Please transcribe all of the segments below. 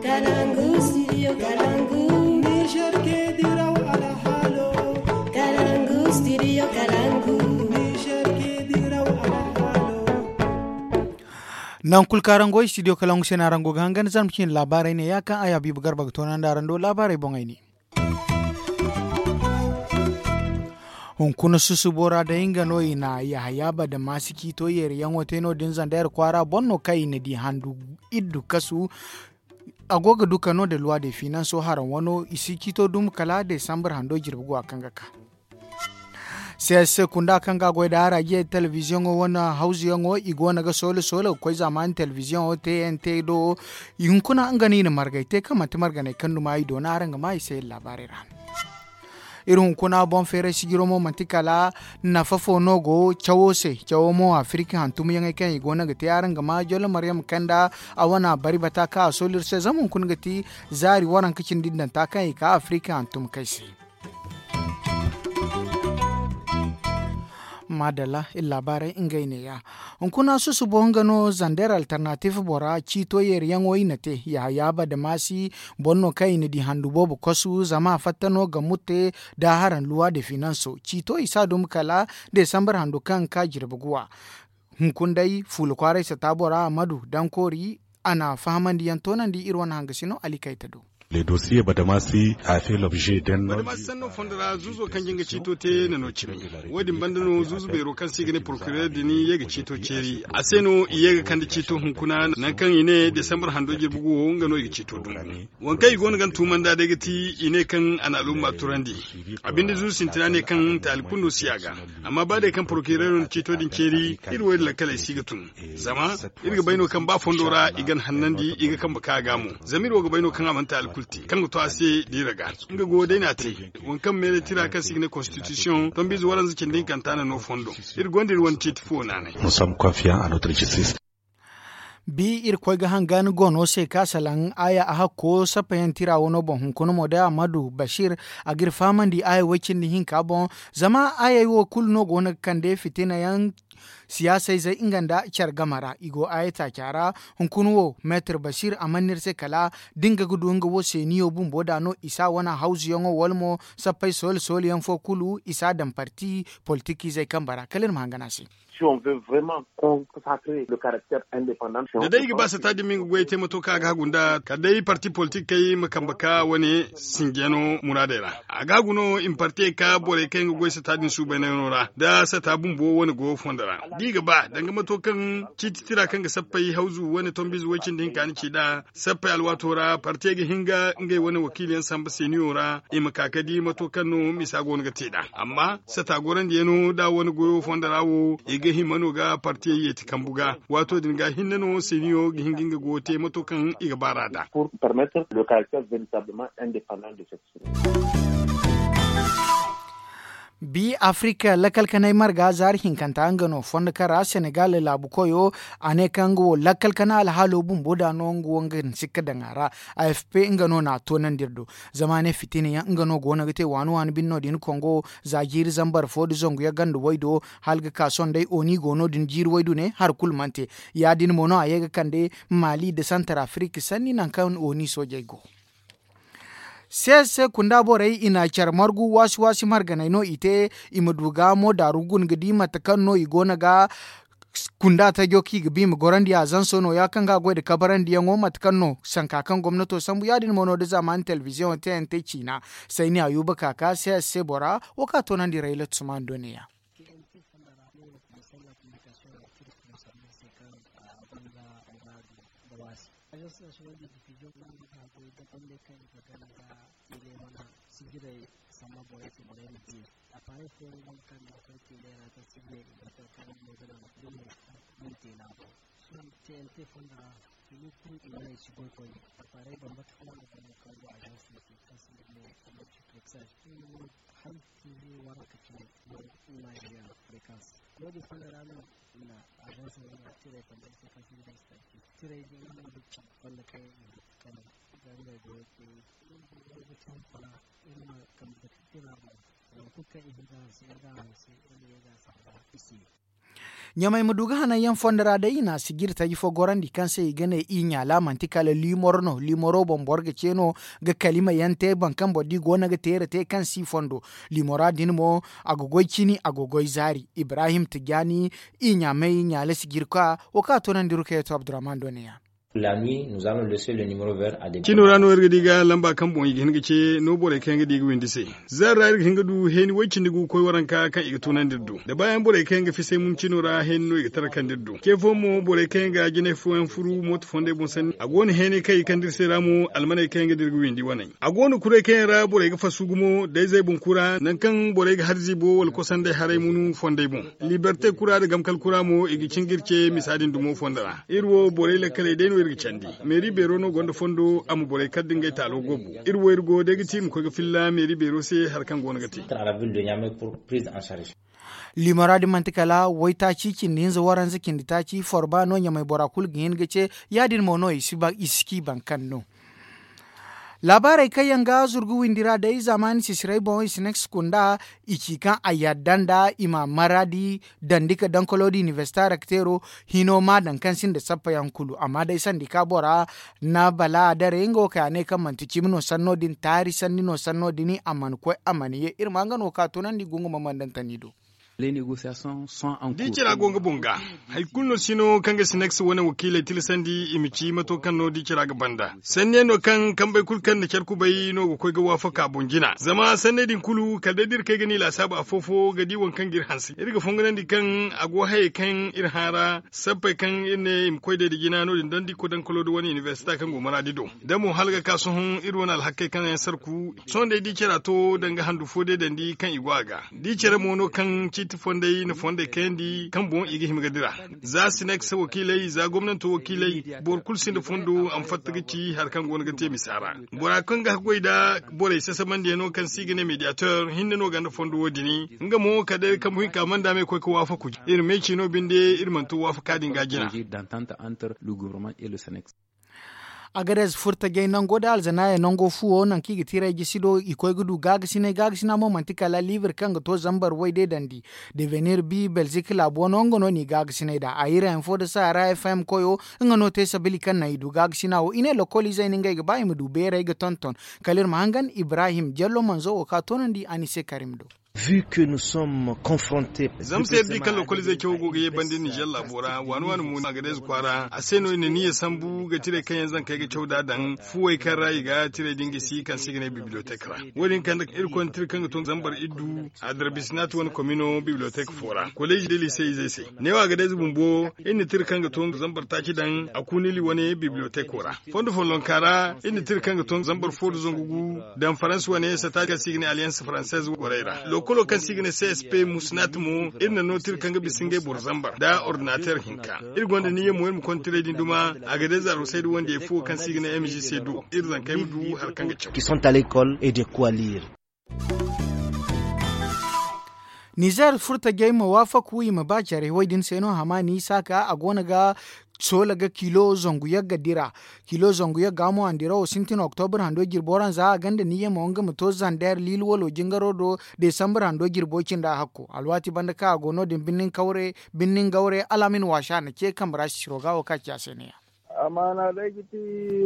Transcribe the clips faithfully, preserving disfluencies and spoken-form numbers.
Kalangu studio Kalangu. Niger ke diraw alhalo. Kalangu studio Kalangu. Niger ke diraw alhalo. Nan kulu kaŋ araŋ go studio Kalangu se no araŋ go ga hangan zarma cine laabaarey ne ya kaŋ ay Habiibu Garba ga toonandi araŋ do laabaarey boŋey ne. Hunkuna susubo ra day nga no i na Yahaya Badamasi ciito yeeriyaŋo te no- din Zandayra kwaara boŋ no kaŋ i na di handu iddu kasu. A go ga du ka no da luwa de finanso haraŋ wano i si ciito dum kala desambar hando jirbi go a kaŋ ga ka. C S C kunda kaŋ ga goy da harajiyey telebiziyoŋo wane hawzuyaŋo i go no ga soole soole ga koy zamani telebiziyoŋo T N T do. Hunkuna nga no i na margay te kaŋ manti marganey kaŋ duma i doona araŋ ga ma i se iri laabaarey ra. Iri hunkuna boŋ feeray sijiro mo manti kala nafa fo no go cawo se. Cawo mo afirika hantumyaŋey kaŋ i go no ga te araŋ ga ma jollo maryam kanda a wana bari bata kaŋ a sooli iri se zama hunkuna ga ti zaari waranka cindi danta kaŋ i ka afirika hantum kay se. Madalla iri laabaarey ngey neeya. Hunkuna susubo nga no zander alternatif bora ciito yeeriyaŋo i na te yahaya badamasi boŋ no kaŋ i na di handu boobo kosu zama a fatta no ga mutte da haraŋ luwa de finanso ciito i si a dumi kala desambar handu kaŋ ka jirbi guwa. Hunkuna day fuula kwaaray sata bora amadu dankoori a na fahamandi yaŋ toonandi iri wane hangasino ali kayta do. Badamasi sanno fondo ra zuuzo kaŋ jin ga ciito te na no cimi. Wo- din banda no zuuzu beero kaŋ se i ga ne porokirere din ye ga ciito ceeri a se no i ye ga kande ciito hunkuna nangu kaŋ i ne desambar hando jirbi guwo nga no i ga ciito dumbu. Waŋ kaŋ i go no ga ni tuumandi a day ga ti i ne kaŋ a na alumma turandi. A binde zuuzu sintina ne kaŋ taali kulu no si a ga. Amma ba day kaŋ porokirero na ciito din ceeri iri wo iri lakkaley si ga tun. Zama iri ga bay no kaŋ ba fondo ra i ga ni hannandi i ga kambe ka ga mo. Zama iri wo ga bay no kaŋ a mana taali kulu te kaŋ ga to a se da iri ga nga go day no a te. Waŋ kaŋ meele tira kaŋ se i ga ne konstitisiyoŋ tombiize waranza cindi hinkanta na no fondo. Iri gonda iri wane ciiti fo naanay. Bi iri koy ga hangan goono se ka salaŋ aya a hakko sappayaŋ tira wano boŋ hunkuna mo day amadu bashir. A ga iri fahamandi aya way cindi hinka boŋ. Zama ayey wo kulu no go no ga kande fitina yaŋ siyaasayzey nga nda care game ra i go aya taaca ra. Hunkuna wo meetir bashir a mana no iri se kala da nga ga du nga wo seeniyo bumbo da no i si a wane hawzuyaŋo wala mo sappay soole soole yaŋ fo kulu i si a daŋ parti politikizey kambe ra kala iri ma hangan a se. Da day i ga ba sata din ma i ga goyey te mato kaŋ a ga hagu nd'a kala day parti politik kay ma kambe ka wane sinjiyano muraadey ra. A ga hagu no i ma partiyey ka borey kaŋ yaŋ ga goy sata din suubaynayano ra nda sata bumbo wane goyo fondo ra da i ga ba danga mato kaŋ ciiti tira kaŋ ga sappay hawzu wane tombiize way-cindi hinka ni ci nd'a. Sappey alwaato ra partiyey ga hin ga ngey wane wakiiliyaŋ samba seeniyo ra i ma ka ga di mato kaŋ no misa go no ga te nd'a. Amma sata gorandiyano nd'a wane goyo fondo ra wo i ga hima no ga partiyey yeeti kambu ga. Waato din ga hinne no seeniyo ga hin ga nga goyo te mato kaŋ i ga baar'a nd'a. Bi afirika lakkal kanay marga zaari hinkanta nga no fondo kaŋ ra senegal laabu koyo a ne kaŋ nga wo lakkal kana alhaalo bumbo da no nga wo nga na sikka daŋ a ra. A f p nga no na a toonandi iri do. Zama a ne fitina yaŋ nga no go no ga te waani waani bine no- din kongo za jiiri zambar fo nda zangu yaŋ ganda way do hala ga ka sohõ day oni go no- din jiiri way dune hari kulu mana te. Ya- din mo no a ye ga kande maali nda santar afirika sanni nangu kaŋ oni soojey go. Se se kunda borey i na care margu waasi waasi marganey no i te. I ma du ga mo daaru guna ga di mate kaŋ no i go no ga kunda tajo kaŋ i ga ba i ma gorandi a zanso no- ya kaŋ ga a goy nda kabarandiyaŋo mate kaŋ no sanka kaŋ gomnato sambu ya- din mo no da zamani telebiziyoŋo te yaŋ te ciina. Sayni ayuba kaka se se bora wo kaŋ a toonandi rayla tusumani do ne- ya. Agence national de diffusion no ga goy da bande kaŋ i ga gana ga tele wana sijirey samba borey se borey ma di. Appareil fo yaŋ go no kaŋ ga fay tele ra kaŋ sijirey i ga fay kaŋ no ga naŋ da mo kaŋ i te laabo. Sohõ T N T fonda ra kulu kulu i wane i si goy koyne. Appareil bambata fo no go no kaŋ go agence se kaŋ se i ga ne multiplexage. Hala T V waranka cine no i ma i ga fréquence. Wo- din fonda ra no i na agence wane tirey bambata se kaŋ se i ga ne tirey din no ga ci fonda kaŋ i ga kani ga ngey goyo te. Iri ma kambe ga tira boŋ. Nangu kulu kaŋ i ga hanse iri ga hanse iri ma ye ga samba i se. Ɲamay ma du ga hananyaŋ fondo ra day i na sijiri taji fo gorandi kaŋ se i ga ne i ɲaala manti kala liimoro no liimoro boŋ boro ga ce no ga kalima yaŋ te boro kaŋ boro di go no ga teera te kaŋ si fondo. Liimora din mo a ga goy cini a ga goy zaari ibrahim tijaani i ɲaamay ɲaala sijiri ka wo kaŋ a toonandi rukayeeto abdurrahman do ne ya. Cino ra no iri ga di ga lamba kaŋ boŋ i ga hin ga ce no borey kaŋ yaŋ ga di ga windi se. Zaari ra iri ga hin ga du heeni way cindi gu ga koy waranka kaŋ i ga tunandi iri do da baayaŋ borey kaŋ yaŋ ga fisay mun cino ra heeni no i ga tarakandi iri do ce fooyaŋ mo borey kaŋ yaŋ ga jinay fooyaŋ furu mooto fondey boŋ sanni a go no heenay kaŋ i ga kande iri se ra mo almaney kaŋ yaŋ ga di iri ga windi waney. A go no kuray kaŋ yaŋ ra borey ga fasu gumo da izey boŋ kura nangu kaŋ borey ga hari ziibo wala kosandey haray munu fondey boŋ. Liberte kura nda gamkal kura mo i ga cin ga iri ce misa din dumo fondo ra iri wo borey lakkaley day no iri ga candi. Meeri beero no gonda fondo a ma borey kala nda ngey taalo gobu. Iri wo iri go day ga ti iri ma koy ga filla meeri beero se hari kaŋ go no ga te. Liimora din manti kala waytaaci cindi hinza waranza cindi taaci forba no ɲamay bora kulu ga hin ga ce. Ya- din mo no i si ci boro kaŋ no. Laabaarey kaŋ yaŋ ga zurgu windi ra day zaamaani sisirey boŋ i si ne ga si kunda i ci kaŋ a yadda nda i ma maraadi dandi ka dankolo da inibersita rekteero hino ma daŋ kaŋ sinda sappa yaŋ kulu amma day sandi ka bora na bala a daray nga wo kay a ne kaŋ manti cimi no sanno din taari sanni no sanno din a mana koy a mana ye iri ma nga no ka tunandi gungu ma mandantani do. Da i cira go nga boŋ ga hari kulu no si no kaŋ ga sinaksa wane wakiiley tilasandi i ma ci mato kaŋ no da i cira ga banda sanne no kaŋ kambey kulu kaŋ na care kubay no ga koy ga waafaka boŋ jina zama sanney din kulu kala day da iri kay ga ni laasaabu afo-fo ga di waŋ kaŋ ga iri hanse iri ga fonganandi kaŋ a go hayey kaŋ iri hã ra sappey kaŋ iri ne i ma koy day nda jina no- din daŋ da i koy daŋ kalo da wane inibersita kaŋ go maraadi do. Da mo hala ga ka sohõ iri wane alhakkey kaŋ yaŋ sarku sohõ day da i care a to danga handu fo day daŋ di kaŋ i go a ga da i care mo no kaŋ ciiti fondey na fondey kayandi kaŋ boŋ i ga hima ga dira. Za sinaksa wakiiley za gomnanto wakiiley boro kulu sinda fondo a ma fatta ga ci hari kaŋ go no ga te misa ra. Bora kaŋ ga haggoy nda borey sasabandiyaŋ no kaŋ se i ga ne mediator hinne no ganda fondo wo- din nga mo kala day kambu hinka manda me koy ga waafaku. Iri meeci no binde iri mana to waafaka din ga jina. Agadez furtajey nango da alzanaaya nango fuwo nangu kaŋ i ga tiray jisi do i koy ga du gaagasinay gaagasina mo manti kala liibir kaŋ ga to zambar way day dandi. Devenir bi belzik laabo no nga no n'i gaagasinay nd'a a hirayaŋ fo nda sahara fm koyo. Nga no te sabili kaŋ naŋ i du gaagasinay wo i ne lokoliizey no ngey ga ba i ma du beeray ga tonton. Kala iri ma hangan ibrahim jallo manzo wo ka toonandi a ni se karim do. Zama se iri di kaŋ lokoliizey cawo go ga ye banda iri nizer laabo ra waani waani mo agadez kwaara a se no iri na niyya sambu ga tiray kaŋ yaŋ zankey ga caw nd'a daŋ fuwey kaŋ ra i ga tiray din gisi kaŋ se i ga ne bibliyotek ra. Wo- din kande iri konda tira kaŋ ga to zambar iddu. Adarbisinaati wane komino bibliyotek fo ra koleezi da liise izey se. Neewo agadez bumbo iri na tira kaŋ ga to zambar taaci daŋ a kuunili wane bibliyoteko ra. Fondo follonka ra iri na tira kaŋ ga to zambar fo nda zangu gu daŋ faransa wane sata kaŋ se i ga ne alliance française gorey ra lokolo kaŋ se i ga ne csp musinat mo. Iri na no tira kaŋ ga bisa ngey boro zambar nda ordinater hinka. Iri gonda niyya mo iri ma konda tirey din duma. Agadez arusay da wandiyey fuwo kaŋ se i ga ne mgc do iri zankey ma du hari kaŋ ga caw. Nizer furtajey ma waafaku i ma ba care way din se no hamaani saaka a go no ga soola ga kilo zangu yagga dira. Kilo zangu yagga mo a na dirawo sintin oktobur hando jirbo ra za a gonda niyya mo nga ma to zander liil walo jingaro do desambur hando jirbo cinda hakko alwaati banda kaŋ a go no- din birnin gawre alaamin waasa na ce kambe ra sisiro ga wo kaŋ a ci a se ne ya. Amaana day ga ti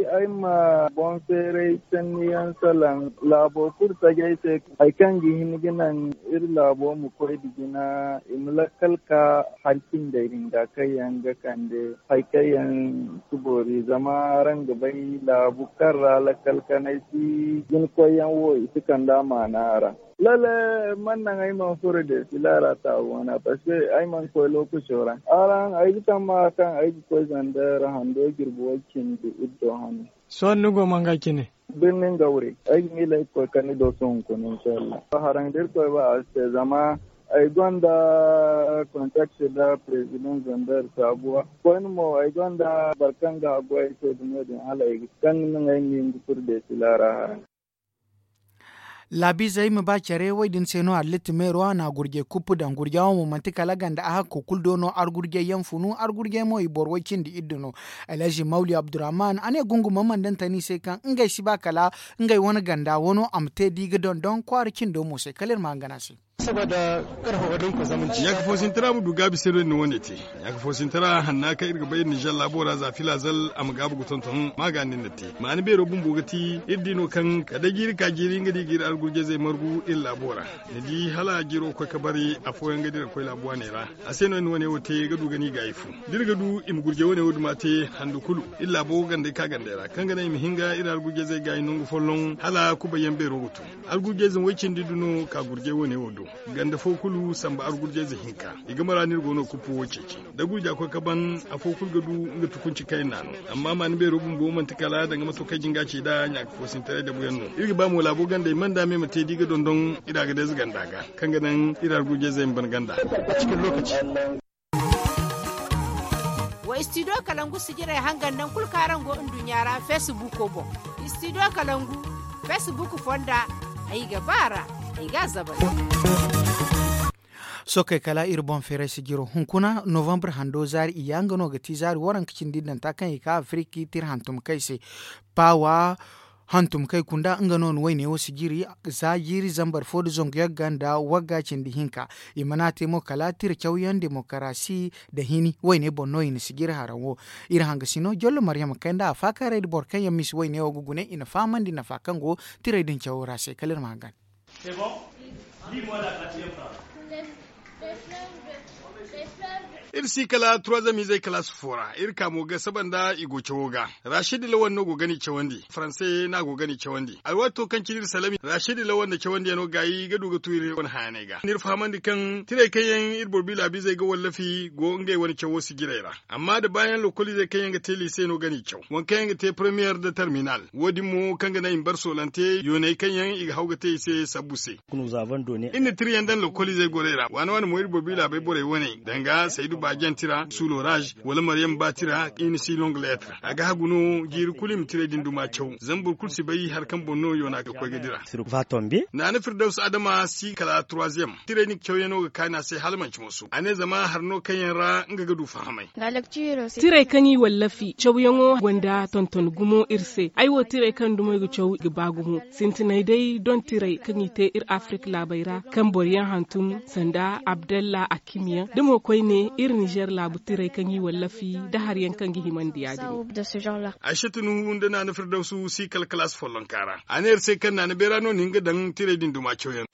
ay ma boŋ feeray sanniyaŋ salaŋ laabo kulu tajay se. Hari kaŋ ga hin ga naŋ iri laabo ma koy nda jina i ma lakkal ka hari cindey din ga kaŋ yaŋ ga kande hari kaŋ yaŋ si boori zama araŋ ga bay laabu kaŋ ra lakkal kanay si jina koyyaŋ wo i si kande amaana araŋ. Lalle man naŋ ay mana furo desila ra taabu wana parce que ay mana koy lookaco ra. Araŋ ay ga tamma kaŋ ay ga koy zander hando jirbi way cindi iddo hane. Sohõ ni go manga cine? Birnin gawre ay ga miila ay ga koy kani do sohõ hunkuna inshallah haraŋ da irkoy ba a si te zama ay gonda contact da president zander saabuwa koyne mo ay gonda boro kaŋ ga haggoy ay se dumo din hala ay ga kaŋ ga naŋ ay ma hin ga furo desila ra haraŋ. Laabiizey ma ba care way din se no halitta meero a na gurjey kuppu daŋ gurja wo mo manti kala ganda a hakko kulu do no argurjey yaŋ funu argurjey mo i boro way cindi iddu no. Alhazi mawli abdurrahman a ne gungu ma mandantani se kaŋ ngey si ba kala ngey wane ganda wano a ma te da i ga dondon kwaara cindo mo se kala iri ma hangan a se. Ɲaaka foosintara ma du gaabi se no iri na wo- ne te. Ɲaaka foosintara hanna kaŋ iri ga bay iri nizer laabo ra za filaazal a ma gaabu ga tonton maaga no iri na te. Maani beero bumbo ga ti iri di no kaŋ kala day jiiri ka jiiri nga di ga iri argurjezey margu iri laabo ra. Ni di hala jiiro ga koy ga bari afooyaŋ ga dira ga koy laabu waaney ra. A se no iri na wo- ne wo te ga du ga ni gaayi fu da iri ga du i ma gurjey wo- ne wo duma te handu kulu. Iri laabo gandey ka gandey ra kaŋ ga naŋ i ma hin ga iri argurjezey gaayi nangu folloŋ hala kubayyaŋ beero ga tun. Argurjey zama way cindi du no ka gurjey wo- ne wo do. Ganda fo kulu samba argurjey ze hinka i ga mara no iri go no ga kuppu wo ceeci. Da gurja koy ga ban afo kulu ga du nga tukunci kaŋ iri na no. Amma maani beero bumbo manti kala danga mato kaŋ jinga ci nd'a ɲaaka foosintaray dabuyaŋ no. Iri ga ba mo laabo gandey manda me ma te da i ga dondon iri a ga day za ganda ga kaŋ ga naŋ iri argurjey ze ma ban ganda. Wa istidiyo kalangu sijirey hangan naŋ kulu kaŋ araŋ go nduɲɲa ra feesibuuko boŋ. Istidiyo kalangu feesibuuko fonda ay ga ba a ra. Ay ga a zabay. Sookey kala iri boŋ feeray sijiro hunkuna novambre hando zaari iyya nga no ga ti zaari waranka cindi danta kaŋ i ka afiriki tira hantumkey se. Paawa hantumkey kunda nga no na wayne wo sijiri za jiiri zambar fo nda zangu yagga nda wagga cindi hinka. I mana te mo kala tira cawyaŋ demokarasi nda hini wayne boŋ no i na sijiri haraŋ wo. Iri hangasino jollo maryama kay nda a faakaaray nda boro kaŋ yaŋ misi wayne wo ga gune i na fahamandi nafa kaŋ go tirey din cawo ra se kala iri ma hangan. Iri si kala turazam izey kalaasi fo ra iri ka mo ga saba nda i go cawo ga. Rashidi lawan no go ga ni cawandi faranse no a go ga ni cawandi alwaato kaŋ cine iri salami rashidi lawan na cawandiyano gaayi ga du ga tu iri wane hayaney ga n'iri fahamandi kaŋ tirey kaŋ yaŋ iri boro bi laabiizey ga wallafi go ngey wane cawo sijirey ra. Amma da baayaŋ lokoliizey kaŋ yaŋ ga te liise no ga ni caw waŋ kaŋ yaŋ ga te premiyer nda terminal wo- din mo kaŋ ga naŋ i ma bar soolante yooney kaŋ yaŋ i ga haw ga te i se sabbu se. Iri na tira yaŋ daŋ lokoliizey gorey ra waana waana mo iri boro bi laabey borey wane danga saydu baajanti ra suloraz wala maryam baati ra i na si longuleetre a ga hagu no jiiri kulu i ma tirey din duma caw zama boro kulu si bay hari kaŋ boŋ no yoona ga koy ga dira. Naana firdawsu adama si kala turaziyam tirey din cawyaŋo ga kaani a se hala manci mooso a ne zama hari no kaŋ yaŋ ra nga ga du fahamay. Tirey kaŋ i wallafi cawyaŋo gonda tonton gumo iri se ay wo tirey kaŋ dumo i ga caw ga ba gumo sintinay day doŋ tirey kaŋ i te iri afirik laabey ra kaŋ boro yaŋ hantum sanda abdalla akimyaŋ da mo koyne iri nizer laabu tirey kaŋ i wallafi da hari yaŋ kaŋ ga himandi ya- din. Aysatu nuhu nda naana firdawsu si kala kalaasi follonka ra a ne iri se kaŋ naana beera no na hin ga daŋ tirey din duma cawyaŋ.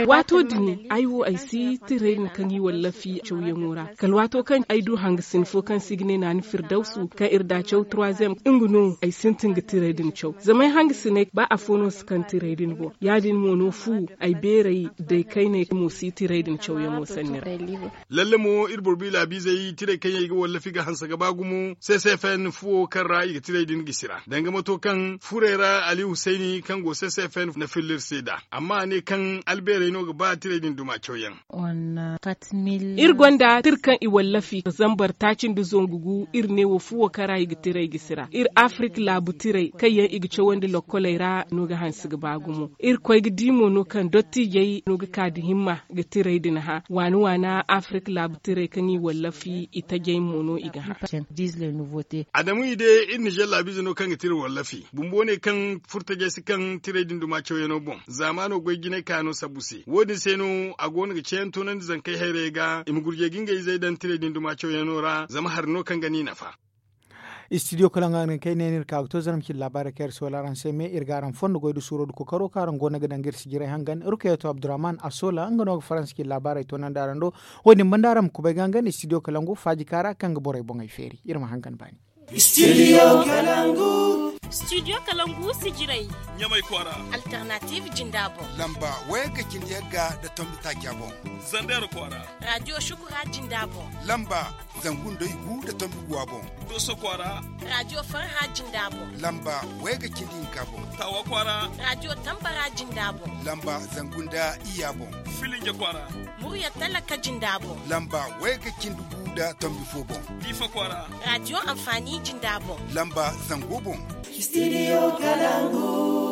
Waato din ay wo ay si tirey din kaŋ i wallafi cawyaŋo ra kala waato kaŋ ay du hangasin fo kaŋ se i ga ne naana firdawsu kaŋ iri da caw turaziyam nga no ay sintin ga tirey din caw zama ay hangasiney ba afo no si kaŋ tirey din boŋ ya- din mo no fu ay beerey day kayney mo si tirey din cawyaŋo sanni ra. Lalle mo iri boro bi laabiizey tirey kaŋ yaŋ i ga wallafi ga hanse ga ba gumo ccfn fuwo kaŋ ra i ga tirey din gisi ra danga mato kaŋ furey ra ali husayni kaŋ go ccfn na filla iri se nd'a amma a ne kaŋ albeerey no ga ba tirey din duma cawyaŋ. Iri gonda tira kaŋ i wallafi zambar taaci nda zangu gu iri ne wo fuwo kaŋ ra i ga tirey gisi ra iri afirik laabu tirey kaŋ yaŋ i ga cawandi lokkoley ra no ga hanse ga ba gumo iri koy ga di mo no kaŋ dottiijey no ga ka nda himma ga tirey din hã waana waana afirik laabu tirey kaŋ i wallafi itajey mo no i ga hã. Adamu i de iri nizer laabiize no kaŋ ga tira wallafi bumbo ne kaŋ furtajey si kaŋ tirey din duma cawyaŋo boŋ zaamaano goy jinay kaano sabbu se wo- din se no a go no ga ceeyaŋ toonandi zankey hayrayey ga i ma gurjey ga ngey izey daŋ tirey din duma cawyaŋo ra zama hari no kaŋ ga ni nafa. Istidiyo kala nga no kaŋ ay ne no iri ka ga to zarma cine laabaarey kaŋ iri soola araŋ se me iri ga araŋ fondo goy nda suuro nda kookaro kaŋ araŋ go no ga daŋ ga iri sijirey hangan rukayato abdurrahman a soola nga no ga faransa cine laabaarey toonandi araŋ do. Wo- din banda araŋ ma kubay ga hangan istidiyo kala ngu faaji kaara kaŋ ga borey boŋey feeri iri ma hangan baani. Istidiyo kala ngu. Istidiyo kala ngu sijirey. Ɲamay kwaara. Alternatiiv jinda boŋ. Lamba wayga cindi yagga nda tombi taaca boŋ. Zander kwaara. Raadiyo shukura jinda boŋ. Lamba zangu nda igu nda tombi guwa boŋ. Doso kwaara. Raadiyo farha jinda boŋ. Lamba wayga cindi hinka boŋ. Tawa kwaara. Raadiyo tambara jinda boŋ. Lamba zangu nda iyya boŋ. Filinja kwaara. Murya talaka jinda boŋ. Lamba wayga cindi gu nda tombi fo boŋ. Diifa kwaara. Raadiyo anfaani jinda boŋ. Lamba zango boŋ. Istidiyo kala ngu.